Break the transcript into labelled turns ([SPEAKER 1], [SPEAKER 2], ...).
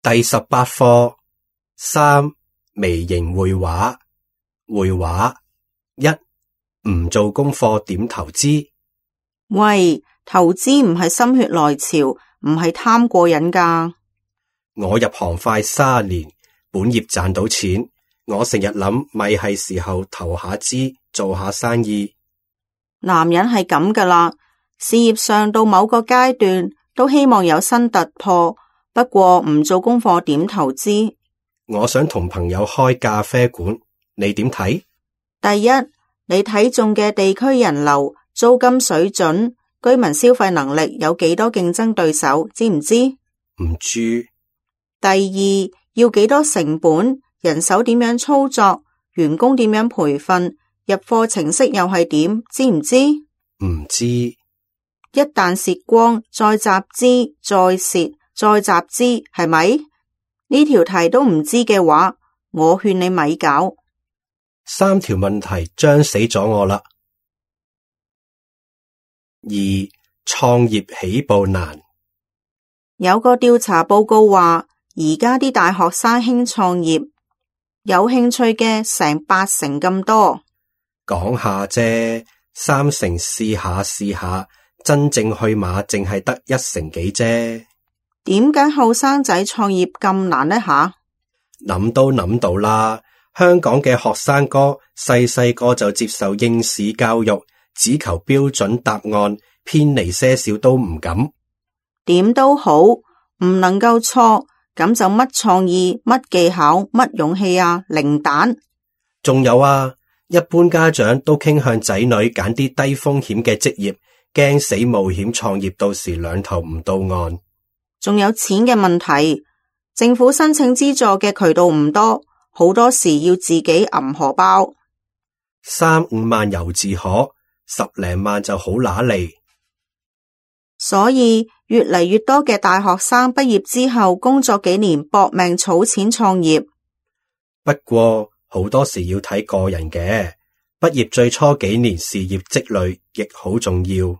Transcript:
[SPEAKER 1] 第18課3微型繪畫。繪畫1唔做功課點投資？
[SPEAKER 2] 喂，投資唔係心血來潮，唔係貪過癮㗎。
[SPEAKER 1] 我入行快30年，本業賺到錢，我成日諗咪係時候投下資，做下生意。
[SPEAKER 2] 男人係咁㗎啦，事業上到某個階段都希望有新突破，不過唔做功課點投資？
[SPEAKER 1] 我想同朋友開咖啡館，你點睇？
[SPEAKER 2] 第一，你睇中嘅地區人流、租金水準、居民消費能力有幾多競爭對手，知唔知？
[SPEAKER 1] 唔知。
[SPEAKER 2] 第二，要幾多成本，人手點樣操作，員工點樣培訓，入貨程式又係點，知唔知？
[SPEAKER 1] 唔知。
[SPEAKER 2] 一旦蝕光，再集資，再蝕，再集資，係咪？呢條題都唔知嘅話，我勸你咪搞。
[SPEAKER 1] 3條問題將死咗我啦。2創業起步難。
[SPEAKER 2] 有個調查報告話，而家啲大學生興創業，有興趣嘅成8成咁多。
[SPEAKER 1] 講下啫，3成試下，真正去馬淨係得1成幾啫。
[SPEAKER 2] 點解後生仔創業咁難呢？
[SPEAKER 1] 諗都諗到啦，香港嘅學生哥細個就接受應試教育，只求標準答案，偏離些少都唔敢。
[SPEAKER 2] 點都好，唔能夠錯，咁就乜創意、乜技巧、乜勇氣啊，零蛋。
[SPEAKER 1] 仲有啊，一般家長都傾向仔女揀啲低風險嘅職業，驚死冒險創業，到時兩頭唔到岸。
[SPEAKER 2] 仲有錢嘅問題，政府申請資助嘅渠道唔多，好多時要自己揞荷包。
[SPEAKER 1] 3-5萬猶自可，10零萬就好揦脷。
[SPEAKER 2] 所以越嚟越多嘅大學生畢業之後工作幾年搏命儲錢創業。
[SPEAKER 1] 不過好多時要睇個人嘅，畢業最初幾年事業積累亦好重要。